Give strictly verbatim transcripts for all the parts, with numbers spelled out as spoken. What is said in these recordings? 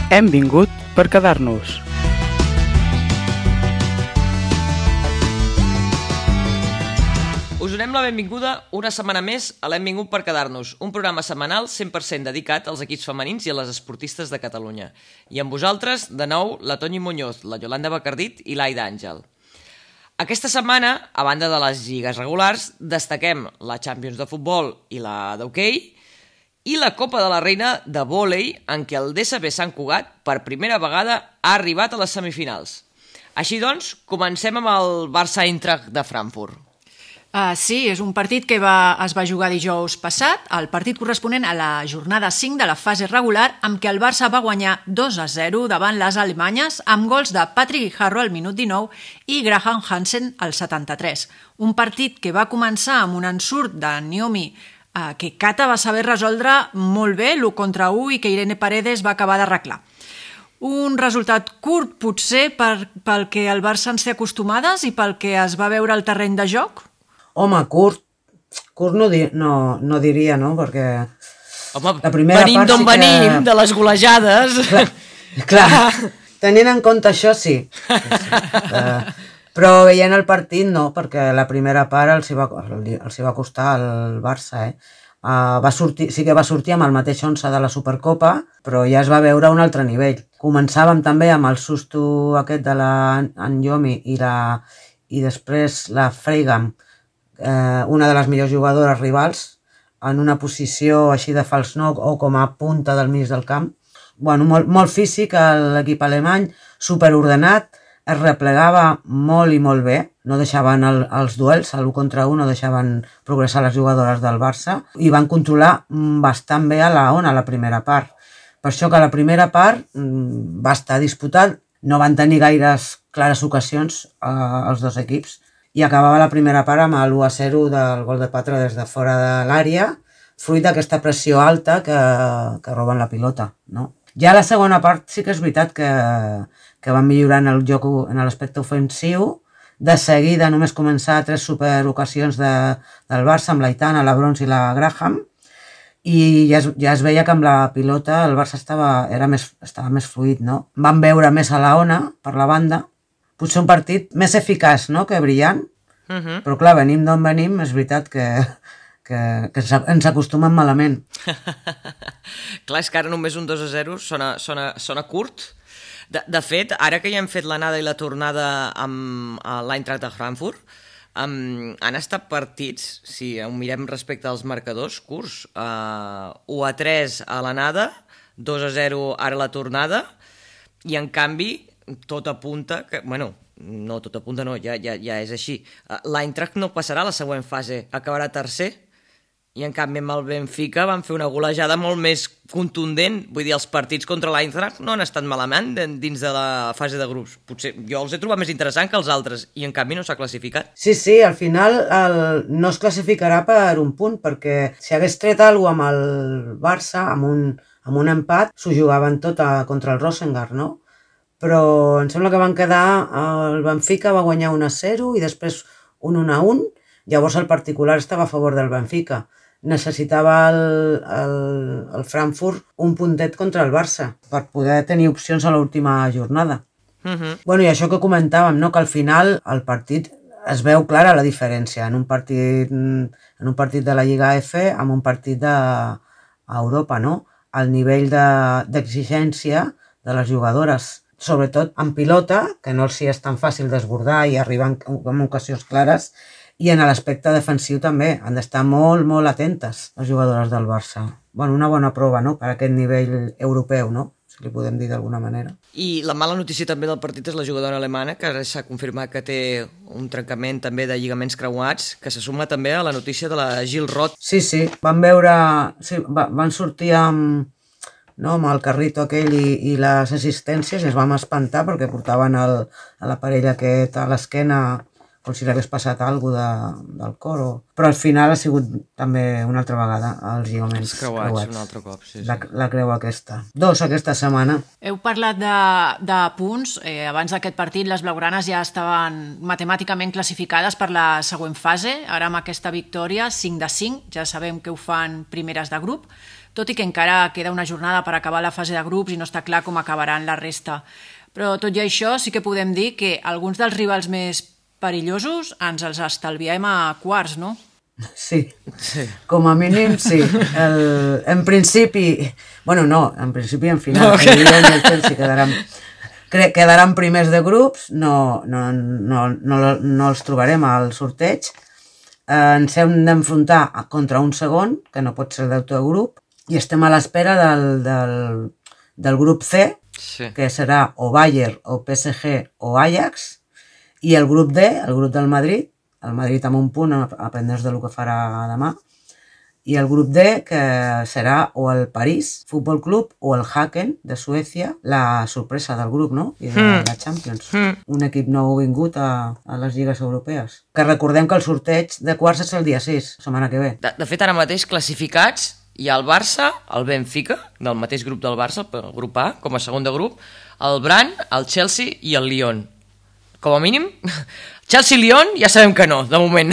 Hem vingut per quedar-nos. Us donem la benvinguda una setmana més a l'Hem vingut per quedar-nos, un programa setmanal cent per cent dedicat als equips femenins i a les esportistes de Catalunya. I amb vosaltres, de nou, la Toñi Muñoz, la Yolanda Bacardit i l'Aida Àngel. Aquesta setmana, a banda de les lligues regulars, destaquem la Champions de futbol i la d'hoquei i la Copa de la Reina de vòlei, en què el D S B Sant Cugat, per primera vegada, ha arribat a les semifinals. Així doncs, comencem amb el Barça-Eintracht de Frankfurt. Uh, sí, és un partit que va, es va jugar dijous passat, el partit corresponent a la jornada cinc de la fase regular, amb què el Barça va guanyar dos a zero davant les alemanyes amb gols de Patrick Guijarro al minut dinou i Graham Hansen al setanta-tres. Un partit que va començar amb un ensurt de Niomi uh, que Cata va saber resoldre molt bé, l'u contra u, i que Irene Paredes va acabar d'arreglar. Un resultat curt, potser, per, pel que el Barça ens té acostumades i pel que es va veure al terreny de joc? Home, curt, curt no, di no, no diria, no? Perquè Home, la primera venim part d'on sí que... venim, de les golejades. Clar, clar, tenint en compte això, sí. sí, sí. Uh, però veient el partit, no, perquè la primera part els hi va, els hi va costar al Barça, eh? Uh, va sortir, sí que va sortir amb el mateix onze de la Supercopa, però ja es va veure a un altre nivell. Començàvem també amb el susto aquest de la Nyomi i, la, i després la Freigam, Eh, una de les millors jugadores rivals, en una posició així de fals nou o com a punta del mig del camp. Bueno, molt, molt físic, l'equip alemany, superordenat, es replegava molt i molt bé, no deixaven el, els duels, l'u contra u, no deixaven progressar les jugadores del Barça i van controlar bastant bé a la ona, a la primera part. Per això que la primera part va estar disputat, no van tenir gaires clares ocasions eh, els dos equips, i acabava la primera part amb l'u a zero del gol de Patra des de fora de l'àrea, fruit d'aquesta pressió alta que, que roben la pilota, no? Ja la segona part sí que és veritat que, que van millorar en el joc, en l'aspecte ofensiu. De seguida només començar tres superocasions de, del Barça amb l'Aitana, la Brons i la Graham, i ja es, ja es veia que amb la pilota el Barça estava, era més, estava més fluid, no? Van veure més a la ona per la banda, potser un partit més eficaç, no?, que brillant, uh -huh. Però clar, venim d'on venim, és veritat que, que, que ens acostumen malament. Clar, és que ara només un dos a zero sona, sona, sona curt. De, de fet, ara que ja hem fet l'anada i la tornada amb l'Eintracht de Frankfurt, um, han estat partits, si ho mirem respecte als marcadors, curts, uh, u a tres a l'anada, dos a zero ara a la tornada, i en canvi tot apunta que, bueno, no tot apunta, no, ja, ja, ja és així. L'Eintracht no passarà a la següent fase, acabarà tercer, i en canvi amb el Benfica van fer una golejada molt més contundent. Vull dir, els partits contra l'Eintracht no han estat malament dins de la fase de grups. Potser jo els he trobat més interessant que els altres, i en canvi no s'ha classificat. Sí, sí, al final el, no es classificarà per un punt, perquè si hagués tret alguna cosa amb el Barça, amb un, amb un empat, s'ho jugaven tot a, contra el Rosengard, no? Però em sembla que van quedar, el Benfica va guanyar un a zero i després un un a un, llavors el particular estava a favor del Benfica. Necessitava el, el, el Frankfurt un puntet contra el Barça per poder tenir opcions a l'última jornada. Uh-huh. Bueno, i això que comentàvem, no?, que al final el partit es veu clara la diferència en un partit, en un partit de la Lliga F amb un partit d'Europa, no? El nivell d'exigència de les jugadores, sobretot en pilota, que no els és tan fàcil desbordar i arribar en, en ocasions clares, i en l'aspecte defensiu també. Han d'estar molt, molt atentes les jugadores del Barça. Bueno, una bona prova, no?, per aquest nivell europeu, no?, si li podem dir d'alguna manera. I la mala notícia també del partit és la jugadora alemana, que ara s'ha confirmat que té un trencament també de lligaments creuats, que se suma també a la notícia de la Gil Roth. Sí, sí, van veure... Sí, va, van sortir amb... no, amb el carrito aquell i, i les assistències, i es vam espantar perquè portaven el, a l'aparell aquest a l'esquena com si l'hagués passat alguna cosa de, del cor. O... Però al final ha sigut també una altra vegada els lligaments els creuats. creuats. Un altre cop, sí, sí. La, la creu aquesta. Dos aquesta setmana. Heu parlat de, de punts. Eh, abans d'aquest partit les blaugranes ja estaven matemàticament classificades per la següent fase. Ara amb aquesta victòria, cinc de cinc, ja sabem que ho fan primeres de grup. tot i que encara queda una jornada per acabar la fase de grups i no està clar com acabaran la resta. Però tot i això sí que podem dir que alguns dels rivals més perillosos ens els estalviem a quarts, no? Sí, sí. Com a mínim sí. El, en principi, bueno no, en principi en final, no, okay. El Lyon i el Chelsea quedaran, quedaran primers de grups, no, no, no, no, no els trobarem al sorteig. Ens hem d'enfrontar contra un segon, que no pot ser el d'autor de grup, i estem a l'espera del, del, del grup C, sí. Que serà o Bayern, o P S G, o Ajax, i el grup D, el grup del Madrid, el Madrid amb un punt, a pendents del que farà demà, i el grup D, que serà o el París Futbol Club o el Häcken de Suècia, la sorpresa del grup, no? I de mm. la Champions. Mm. Un equip nou vingut a, a les lligues europees. Que recordem que el sorteig de quarts és el dia sis, setmana que ve. De, de fet, ara mateix classificats hi ha el Barça, el Benfica, del mateix grup del Barça, el grup A, com a segon de grup, el Brann, el Chelsea i el Lyon. Com a mínim, Chelsea-Lyon ja sabem que no, de moment.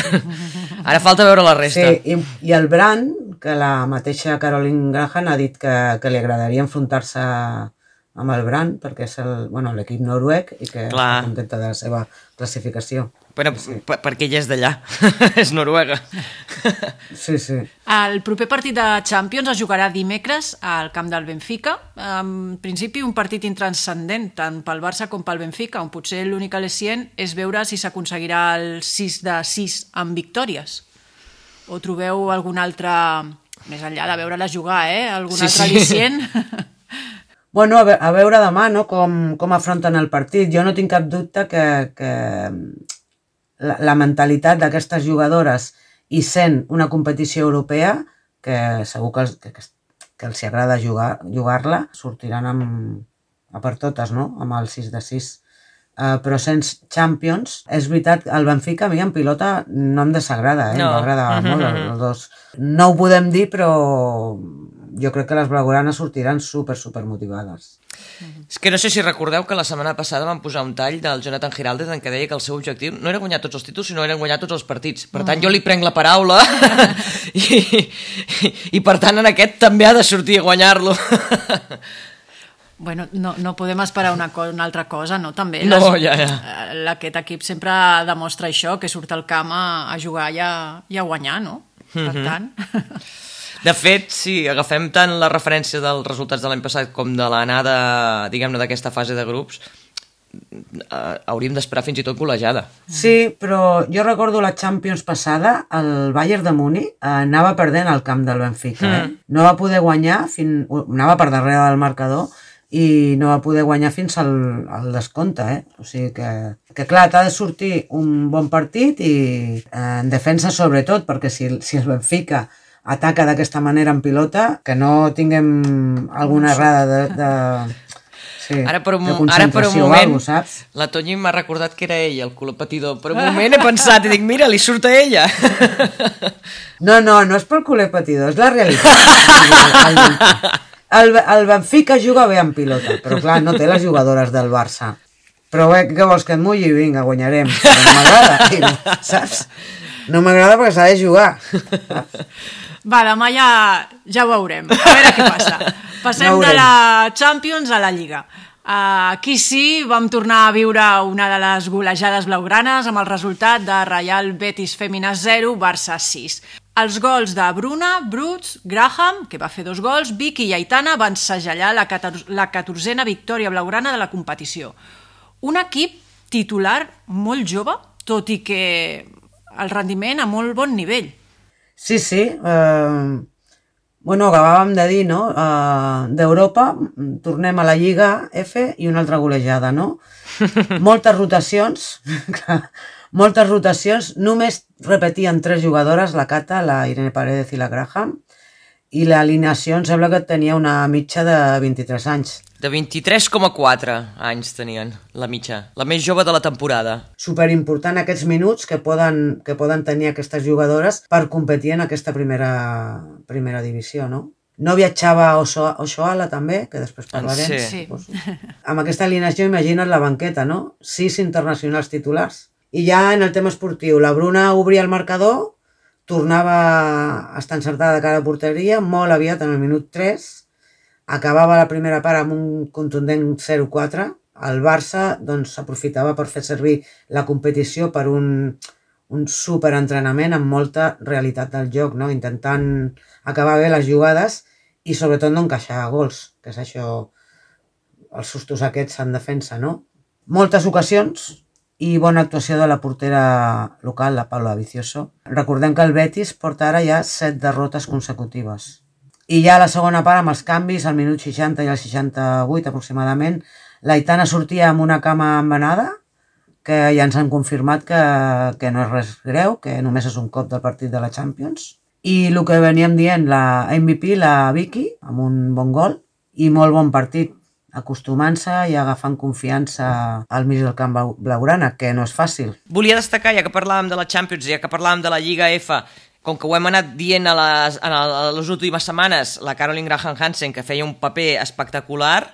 Ara falta veure la resta. Sí, i, i el Brann, que la mateixa Caroline Graham ha dit que, que li agradaria enfrontar-se amb el Brann, perquè és el, bueno, l'equip noruec i que Clar. Està contenta de la seva classificació. Però, sí. Perquè ella és d'allà, és noruega. Sí, sí. El proper partit de Champions es jugarà dimecres al camp del Benfica. En principi, un partit intranscendent, tant pel Barça com pel Benfica, on potser l'únic al·licient és veure si s'aconseguirà el sis de sis amb victòries. O trobeu algun altre, més enllà de veure-la jugar, eh? Algun sí, altre sí. al·licient? Bueno, a, ve a veure demà, no?, com, com afronten el partit. Jo no tinc cap dubte que... que... La, la mentalitat d'aquestes jugadores i sent una competició europea que segur que els, que, que els agrada jugar, jugar-la, sortiran amb, a per totes, no? Amb el sis de sis. Uh, però sent Champions, és veritat, el Benfica a mi en pilota no em desagrada, eh? No. M'agrada mm -hmm. molt els, els dos. No ho podem dir, però jo crec que les blaugranes sortiran super, super motivades. És que no sé si recordeu que la setmana passada van posar un tall del Jonathan Giraldez en què deia que el seu objectiu no era guanyar tots els títols, sinó era guanyar tots els partits. Per tant, jo li prenc la paraula i, i, i per tant en aquest també ha de sortir a guanyar-lo. Bueno, no, no podem esperar una, co una altra cosa, no? També no, les, ja, ja. Aquest equip sempre demostra això, que surt al camp a, a jugar i a, i a guanyar, no? Per mm-hmm. tant... De fet, si agafem tant la referència dels resultats de l'any passat com de l'anada, diguem-ne, d'aquesta fase de grups, eh, hauríem d'esperar fins i tot col·legiada. Sí, però jo recordo la Champions passada, el Bayern de Múnich eh, anava perdent al camp del Benfica. Mm. Eh? No va poder guanyar, fin... anava per darrere del marcador, i no va poder guanyar fins al, al descompte, eh? O sigui que, que clar, t'ha de sortir un bon partit i eh, en defensa sobretot, perquè si, si el Benfica ataca d'aquesta manera en pilota, que no tinguem alguna errada de, de, sí, ara per un, de concentració ara per un moment, o alguna cosa, saps? La Toñi m'ha recordat que era ell, el culo patidor. Per un moment he pensat i dic, mira, li surt a ella. No, no, no és pel culer patidor, és la realitat. El, el Benfica juga bé en pilota, però clar, no té les jugadores del Barça. Però bé, què vols que et mulli? Vinga, guanyarem. Però no m'agrada, saps? No m'agrada perquè s'ha de jugar. Va, demà ja, ja ho veurem. A veure què passa. Passem de la Champions a la Lliga. Uh, aquí sí, vam tornar a viure una de les golejades blaugranes amb el resultat de Real Betis Fèmina zero, Barça sis. Els gols de Bruna, Bruts, Graham, que va fer dos gols, Vicky i Aitana van segellar la, la catorzena victòria blaugrana de la competició. Un equip titular molt jove, tot i que el rendiment a molt bon nivell. Sí, sí. Eh, bueno, acabàvem de dir, no? Eh, D'Europa tornem a la Lliga F i una altra golejada, no? Moltes rotacions, moltes rotacions. Només repetien tres jugadores, la Cata, la Irene Paredes i la Graham, i l'alineació em sembla que tenia una mitja de vint-i-tres anys. De vint-i-tres coma quatre anys tenien, la mitja. La més jove de la temporada. Superimportant aquests minuts que poden, que poden tenir aquestes jugadores per competir en aquesta primera, primera divisió, no? No viatjava Oshoala també, que després parlarem. Sí. Sí. Pues, amb aquesta alineació imagina't la banqueta, no? Sis internacionals titulars. I ja en el tema esportiu, la Bruna obria el marcador tornava a estar encertada de cara a porteria, molt aviat, en el minut tres, acabava la primera part amb un contundent zero quatre. El Barça doncs, s'aprofitava per fer servir la competició per un, un superentrenament amb molta realitat del joc, no? Intentant acabar bé les jugades i sobretot no encaixar gols, que és això, els sustos aquests en defensa, no? Moltes ocasions i bona actuació de la portera local, la Paula Vicioso. Recordem que el Betis porta ara ja set derrotes consecutives. I ja a la segona part, amb els canvis, al minut seixanta i al seixanta-vuit aproximadament, l'Aitana sortia amb una cama embenada, que ja ens han confirmat que, que no és res greu, que només és un cop del partit de la Champions. I el que veníem dient, la M V P, la Vicky, amb un bon gol, i molt bon partit, acostumant-se i agafant confiança al mig del camp blaugrana, que no és fàcil. Volia destacar, ja que parlàvem de la Champions, ja que parlàvem de la Lliga F, com que ho hem anat dient a les, a les últimes setmanes, la Caroline Graham Hansen, que feia un paper espectacular,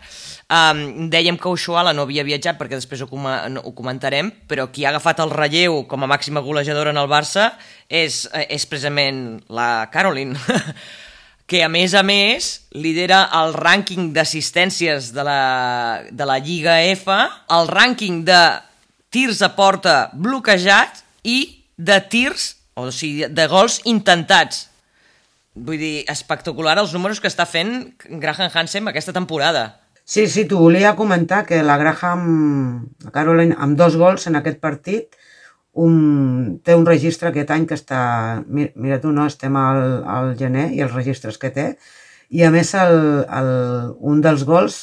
um, dèiem que Oshoala no havia viatjat, perquè després ho, com ho comentarem, però qui ha agafat el relleu com a màxima golejadora en el Barça és, és precisament la Caroline, que a més a més lidera el rànquing d'assistències de la, de la Lliga F, el rànquing de tirs a porta bloquejats i de tirs, o sigui, de gols intentats. Vull dir, espectacular els números que està fent Graham Hansen aquesta temporada. Sí, sí, t'ho volia comentar, que la Graham, la Caroline, amb dos gols en aquest partit, un, té un registre aquest any que està... Mira, mira tu, no? Estem al, al gener i els registres que té. I a més, el, el, un dels gols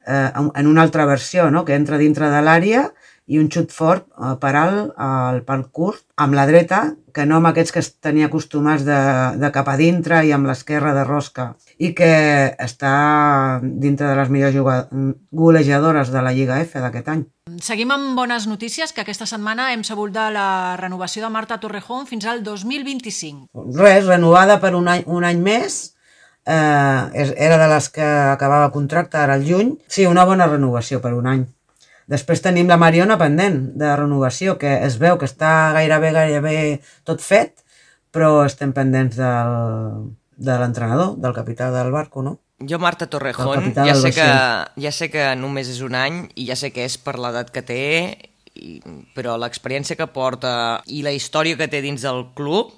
eh, en una altra versió, no? Que entra dintre de l'àrea i un xut fort eh, per alt, al pal curt, amb la dreta, que no amb aquests que es tenia acostumats de, de cap a dintre i amb l'esquerra de rosca, i que està dintre de les millors golejadores de la Lliga F d'aquest any. Seguim amb bones notícies, que aquesta setmana hem sabut de la renovació de Marta Torrejón fins al dos mil vint-i-cinc. Res, renovada per un any, un any més, eh, era de les que acabava contracte ara al juny. Sí, una bona renovació per un any. Després tenim la Mariona pendent de renovació, que es veu que està gairebé, gairebé tot fet, però estem pendents del, de l'entrenador, del capità del barco, no? Jo, Marta Torrejón, ja sé, que, ja sé que només és un any i ja sé que és per l'edat que té, i, però l'experiència que porta i la història que té dins del club,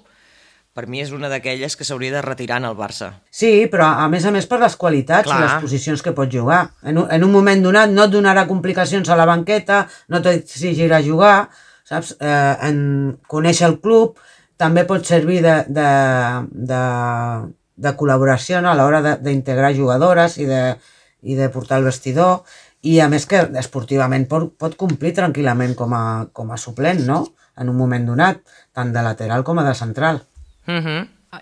per mi és una d'aquelles que s'hauria de retirar en el Barça. Sí, però a més a més per les qualitats Clar. I les posicions que pot jugar. En un, en un moment donat no et donarà complicacions a la banqueta, no t'exigirà jugar, saps? Eh, en conèixer el club també pot servir de... de, de de col·laboració, no? A l'hora d'integrar jugadores i de, i de portar el vestidor, i a més que esportivament pot, pot complir tranquil·lament com a, com a suplent, no? En un moment donat, tant de lateral com a de central. Uh-huh.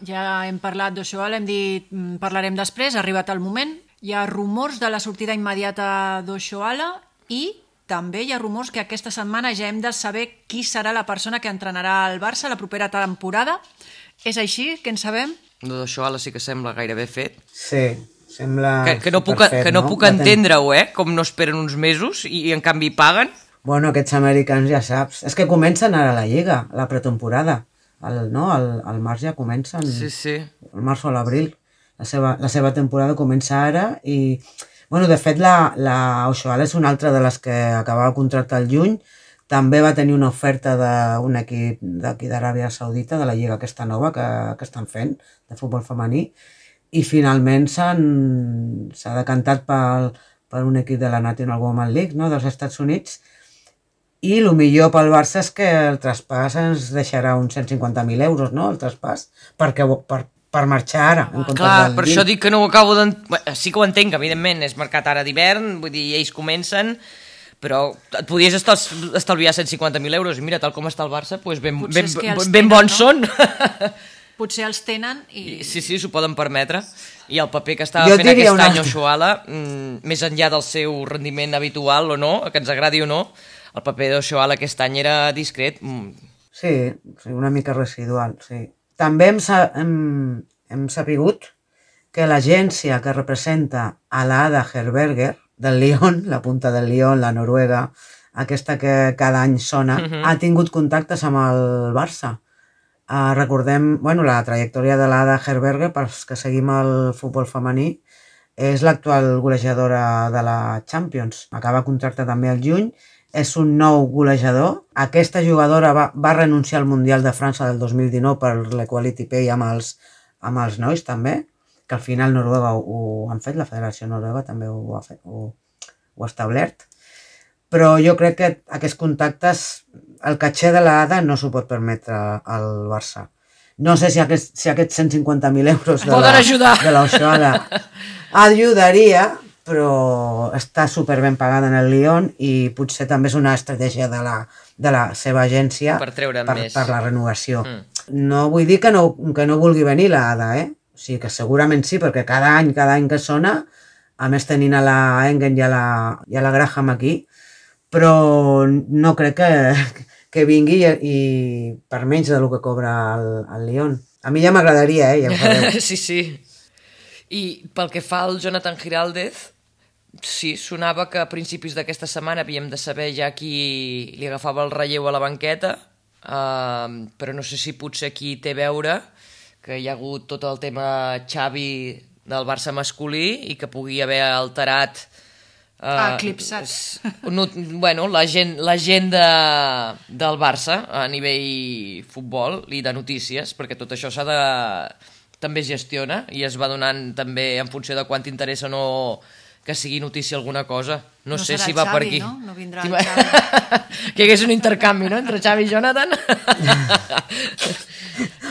Ja hem parlat d'Oshoala, hem dit parlarem després, ha arribat el moment. Hi ha rumors de la sortida immediata d'Oshoala i també hi ha rumors que aquesta setmana ja hem de saber qui serà la persona que entrenarà el Barça la propera temporada. És així? Què en sabem? D'Oshoala sí que sembla gairebé fet. Sí, sembla que, que no puc, fet, que no, no? puc entendre-ho, eh? Com no esperen uns mesos i, i en canvi paguen. Bueno, aquests americans ja saps. És que comencen ara la Lliga, la pretemporada. El, no? el, el març ja comencen. Sí, sí. El març o l'abril. La seva, la seva temporada comença ara i... Bueno, de fet, la, la Oshoala és una altra de les que acabava el contracte al juny. També va tenir una oferta d'un equip d'aquí d'Aràbia Saudita, de la lliga aquesta nova que, que estan fent, de futbol femení, i finalment s'ha decantat per, per un equip de la National Women's League, no?, dels Estats Units, i el millor pel Barça és que el traspàs ens deixarà uns cent cinquanta mil euros, no?, el traspàs, perquè, per, per marxar ara. En Clar, per això dic que no ho acabo d'entendre. Sí que ho entenc, evidentment, és mercat ara d'hivern, vull dir, ells comencen... però et podies estalviar cent cinquanta mil euros i mira, tal com està el Barça, doncs ben, ben, ben, ben bons no? són. Potser els tenen i... I sí, sí, s'ho poden permetre. I el paper que estava jo fent aquest una... any Oshoala, mmm, més enllà del seu rendiment habitual o no, que ens agradi o no, el paper d'Oshoala aquest any era discret. Mm. Sí, una mica residual, sí. També hem, hem, hem sapigut que l'agència que representa a l'Ada Herberger, del Lyon, la punta del Lyon, la Noruega, aquesta que cada any sona, uh-huh. ha tingut contactes amb el Barça Uh, recordem, bueno, la trajectòria de l'Ada Herberger, pels que seguim el futbol femení, és l'actual golejadora de la Champions. Acaba contracte també al juny, és un nou golejador. Aquesta jugadora va, va renunciar al Mundial de França del dos mil dinou per l'Equality Pay amb els, amb els nois també, que al final Noruega ho, ho han fet, la Federació Noruega també ho ha, fet, ho, ho ha establert. Però jo crec que aquests contactes, el caché de l'Ada no s'ho pot permetre al Barça. No sé si aquests, si aquests cent cinquanta mil euros de Poden la, ajudar. de l'Oshoala ajudaria, però està super ben pagada en el Lyon i potser també és una estratègia de la, de la seva agència Per treure'n per, més. per la renovació. Mm. No vull dir que no, que no vulgui venir l'Ada, eh? O sigui que segurament sí, perquè cada any, cada any que sona, a més tenint a la Engen i a la, i a la Graham aquí, però no crec que, que vingui i, i per menys del que cobra el, el Lyon. A mi ja m'agradaria, eh? Ja ho fareu. Sí, sí. I pel que fa al Jonathan Giraldez, sí, sonava que a principis d'aquesta setmana havíem de saber ja qui li agafava el relleu a la banqueta, uh, però no sé si potser aquí té a veure que hi ha hagut tot el tema Xavi del Barça masculí i que pugui haver alterat Uh, eclipsat. No, bueno, la gent, la gent de, del Barça a nivell futbol i de notícies, perquè tot això s'ha de... també es gestiona i es va donant també en funció de quant t'interessa o no que sigui notícia alguna cosa. No, No sé serà si el va per Xavi, aquí. no? No vindrà Sí, el va- Xavi. que hi hagués un intercanvi, no?, entre Xavi i Jonathan.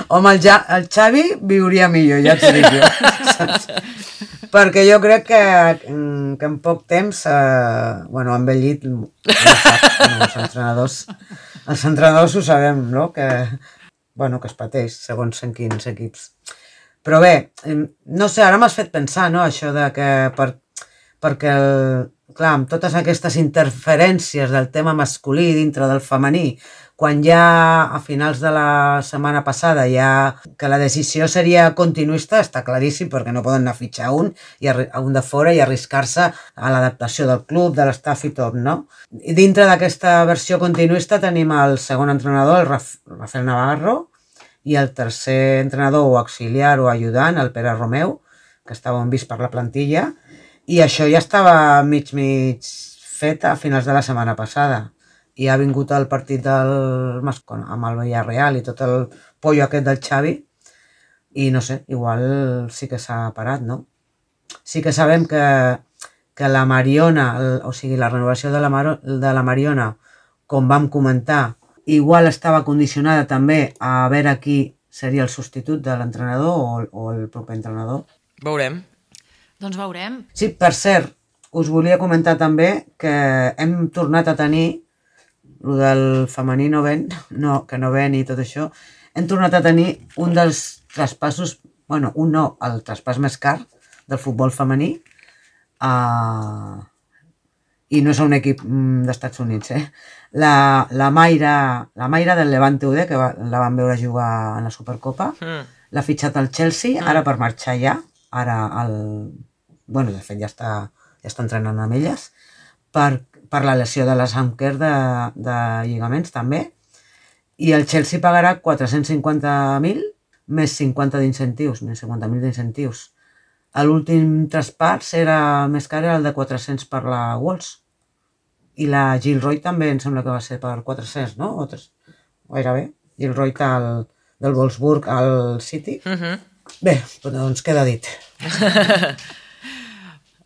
Home, el, ja, el Xavi viuria millor, ja t'ho dic jo. Saps? Perquè jo crec que, que en poc temps, eh, bueno, han envellit, no sap, bueno, els entrenadors, els entrenadors ho sabem, no?, que, bueno, que es pateix segons en quins equips. Però bé, no sé, ara m'has fet pensar, no?, això de que, per, perquè, el, clar, amb totes aquestes interferències del tema masculí dintre del femení, quan ja a finals de la setmana passada ja que la decisió seria continuista, està claríssim, perquè no poden anar a fitxar un, i a un de fora i arriscar-se a l'adaptació del club, de l'estaf i tot, no? I dintre d'aquesta versió continuista tenim el segon entrenador, el Raf Rafael Navarro, i el tercer entrenador o auxiliar o ajudant, el Pere Romeu, que estava vist per la plantilla, i això ja estava mig mig fet a finals de la setmana passada. I ha vingut el partit del Mascon amb el Villarreal i tot el pollo aquest del Xavi i no sé, igual sí que s'ha parat, no? Sí que sabem que, que la Mariona, el, o sigui, la renovació de la, Mar de la Mariona, com vam comentar, igual estava condicionada també a veure qui seria el substitut de l'entrenador o, o el proper entrenador. Veurem. Doncs veurem. Sí, per cert, us volia comentar també que hem tornat a tenir el del femení no ven, no, que no ven i tot això, hem tornat a tenir un dels traspassos, bueno, un no, el traspàs més car del futbol femení, uh, i no és un equip mm, d'Estats Units, eh? La, la, Mayra, la Mayra del Levante U D, que va, la van veure jugar en la Supercopa, Mm. l'ha fitxat al Chelsea, ara per marxar ja, ara el... bueno, de fet ja està, ja està entrenant amb elles, per, per la lesió de les Anker de, de lligaments també, i el Chelsea pagarà quatre-cents cinquanta mil més cinquanta d'incentius, més cinquanta mil d'incentius. L'últim traspàs era més car, era el de quatre-cents per la Wolves, i la Gilroy també em sembla que va ser per quatre-cents, no? O tres, gairebé. Gilroy el, del Wolfsburg al City. Mhm. Bé, doncs queda dit.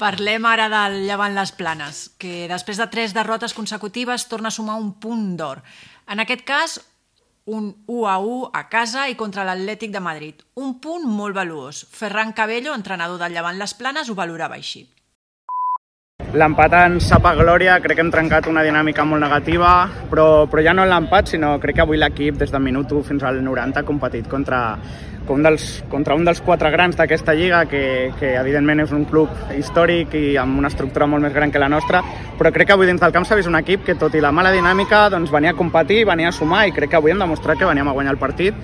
Parlem ara del Llevant Les Planes, que després de tres derrotes consecutives torna a sumar un punt d'or. En aquest cas, un u a u a casa i contra l'Atlètic de Madrid. Un punt molt valuós. Ferran Cabello, entrenador del Llevant Les Planes, ho valorava així. L'empat ens sap a glòria, crec que hem trencat una dinàmica molt negativa, però, però ja no l'empat, sinó crec que avui l'equip des del minut u fins al noranta ha competit contra, un dels, contra un dels quatre grans d'aquesta lliga, que, que evidentment és un club històric i amb una estructura molt més gran que la nostra, però crec que avui dins del camp s'ha vist un equip que, tot i la mala dinàmica, doncs venia a competir, venia a sumar, i crec que avui hem demostrat que veníem a guanyar el partit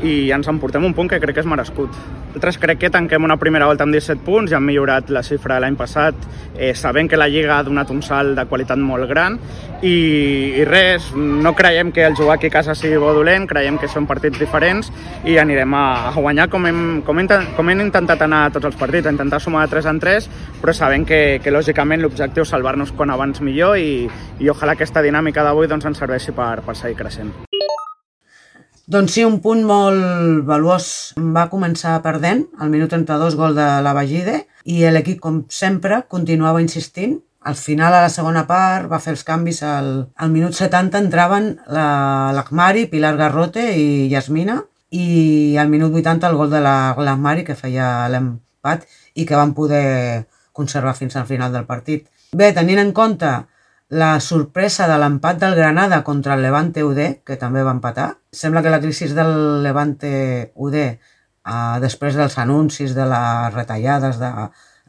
i ens emportem un punt que crec que és merescut. Nosaltres crec que tanquem una primera volta amb disset punts i hem millorat la xifra de l'any passat, eh, sabent que la Lliga ha donat un salt de qualitat molt gran i, i res, no creiem que el jugar aquí a casa sigui bo o dolent, creiem que són partits diferents i anirem a, a guanyar com hem, com, hem, com hem intentat anar a tots els partits, a intentar sumar de tres en tres, però sabent que, que lògicament l'objectiu és salvar-nos quan abans millor i, i ojalà aquesta dinàmica d'avui doncs, ens serveixi per, per seguir creixent. Doncs sí, un punt molt valuós. Va començar perdent, al minut trenta-dos, gol de la Bagide, i l'equip, com sempre, continuava insistint. Al final, a la segona part, va fer els canvis. Al, al minut setanta entraven l'Ahmari, Pilar Garrote i Yasmina, i al minut vuitanta el gol de l'Ahmari, que feia l'empat i que van poder conservar fins al final del partit. Bé, tenint en compte la sorpresa de l'empat del Granada contra el Levante U D, que també va empatar. Sembla que la crisi del Levante U D, eh, després dels anuncis de les retallades de,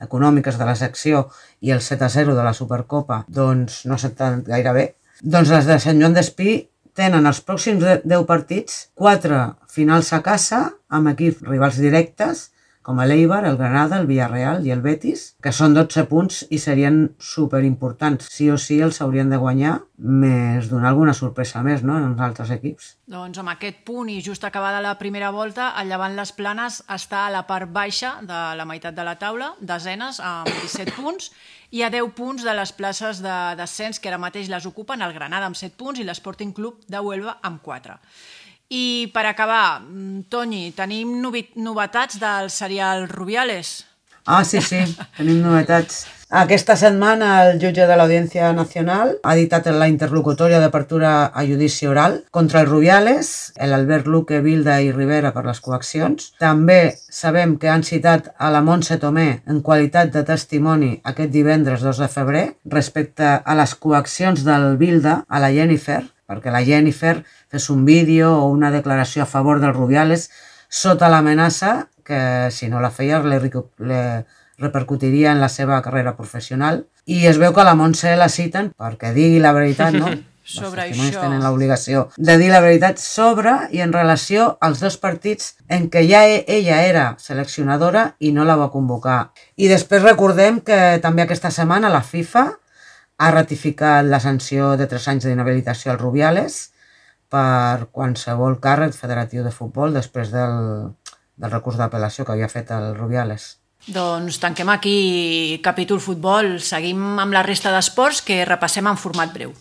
econòmiques de la secció i el set a zero de la Supercopa, doncs no s'ha estat gaire bé. Doncs les de Sant Joan d'Espí tenen els pròxims deu partits, quatre finals a casa, amb equips rivals directes, com l'Eibar, el Granada, el Villarreal i el Betis, que són dotze punts i serien superimportants. Sí o sí els haurien de guanyar, més donar alguna sorpresa més, no?, en els altres equips. Doncs amb aquest punt i just acabada la primera volta, el Llevant Les Planes està a la part baixa de la meitat de la taula, desenes amb disset punts, i a deu punts de les places de descens que ara mateix les ocupen el Granada amb set punts i l'Sporting Club de Huelva amb quatre. I per acabar, Toni, tenim novetats del serial Rubiales? Ah, sí, sí, tenim novetats. Aquesta setmana el jutge de l'Audiència Nacional ha dictat la interlocutòria d'apertura a judici oral contra els Rubiales, l'Albert Luque, Vilda i Rivera per les coaccions. També sabem que han citat a la Montse Tomé en qualitat de testimoni aquest divendres dos de febrer respecte a les coaccions del Vilda a la Jennifer, perquè la Jennifer fes un vídeo o una declaració a favor dels Rubiales sota l'amenaça que, si no la feia, le, le repercutiria en la seva carrera professional. I es veu que la Montse la citen perquè digui la veritat, no? Sobre els testimonis això. tenen l'obligació de dir la veritat sobre i en relació als dos partits en què ja ella era seleccionadora i no la va convocar. I després recordem que també aquesta setmana la FIFA ha ratificat la sanció de tres anys d'inhabilitació als Rubiales per qualsevol càrrec federatiu de futbol després del, del recurs d'apel·lació que havia fet el Rubiales. Doncs tanquem aquí capítol futbol. Seguim amb la resta d'esports que repassem en format breu.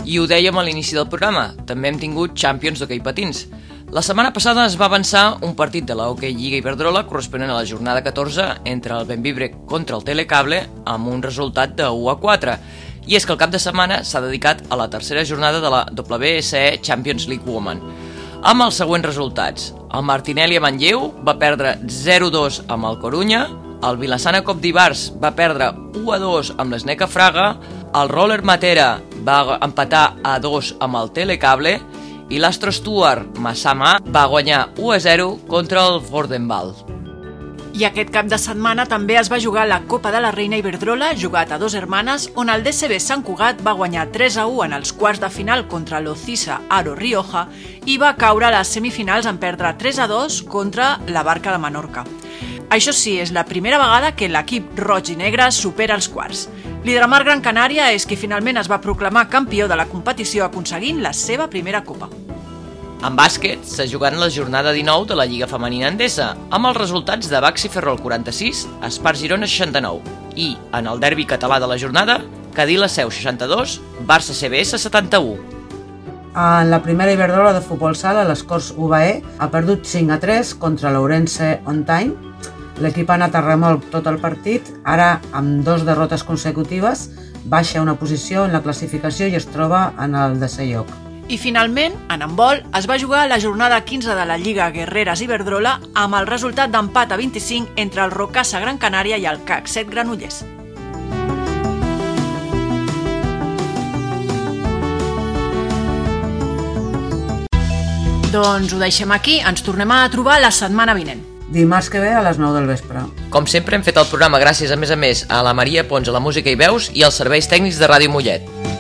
I ho dèiem a l'inici del programa, també hem tingut Champions d'hoquei patins. La setmana passada es va avançar un partit de la Hockey Lliga Iberdrola corresponent a la jornada catorze entre el Bembibre contra el Telecable amb un resultat de u a quatre. I és que el cap de setmana s'ha dedicat a la tercera jornada de la W S E Champions League Women, amb els següents resultats. El Martinelli a Manlleu va perdre zero a dos amb el Corunya, el Vilassana Cop d'Ivars va perdre u a dos amb l'Sneca Fraga, el Roller Matera va empatar a dos amb el Telecable i l'Astro Stuart Massama va guanyar u a zero contra el Fordenval. I aquest cap de setmana també es va jugar la Copa de la Reina Iberdrola, jugat a Dos Hermanes, on el D C B Sant Cugat va guanyar tres a u en els quarts de final contra l'Ocisa Aro Rioja i va caure a les semifinals en perdre tres a dos contra la Barca de Menorca. Això sí, és la primera vegada que l'equip roig i negre supera els quarts. L'Hidramar Gran Canària és qui finalment es va proclamar campió de la competició aconseguint la seva primera copa. En bàsquet s'ha jugat la jornada dinou de la Lliga Femenina Endesa, amb els resultats de Baxi Ferrol quaranta-sis, Espar Girona seixanta-nou i, en el derbi català de la jornada, Cadí la Seu seixanta-dos, Barça C B S setanta-u. En la primera Iberdrola de futbol sala, l'Escorç U B E ha perdut cinc a tres contra l'Ourense On Time. L'equip ha anat a remolc tot el partit, ara amb dos derrotes consecutives, baixa una posició en la classificació i es troba en el desè lloc. I finalment, en handbol, es va jugar la jornada quinze de la Lliga Guerreres Iberdrola amb el resultat d'empat a vint-i-cinc entre el Rocasa Gran Canària i el C A C set Granollers. Doncs ho deixem aquí, ens tornem a trobar la setmana vinent. Dimarts que ve a les nou del vespre. Com sempre hem fet el programa gràcies a més a més a la Maria Pons a la música i veus i als serveis tècnics de Ràdio Mollet.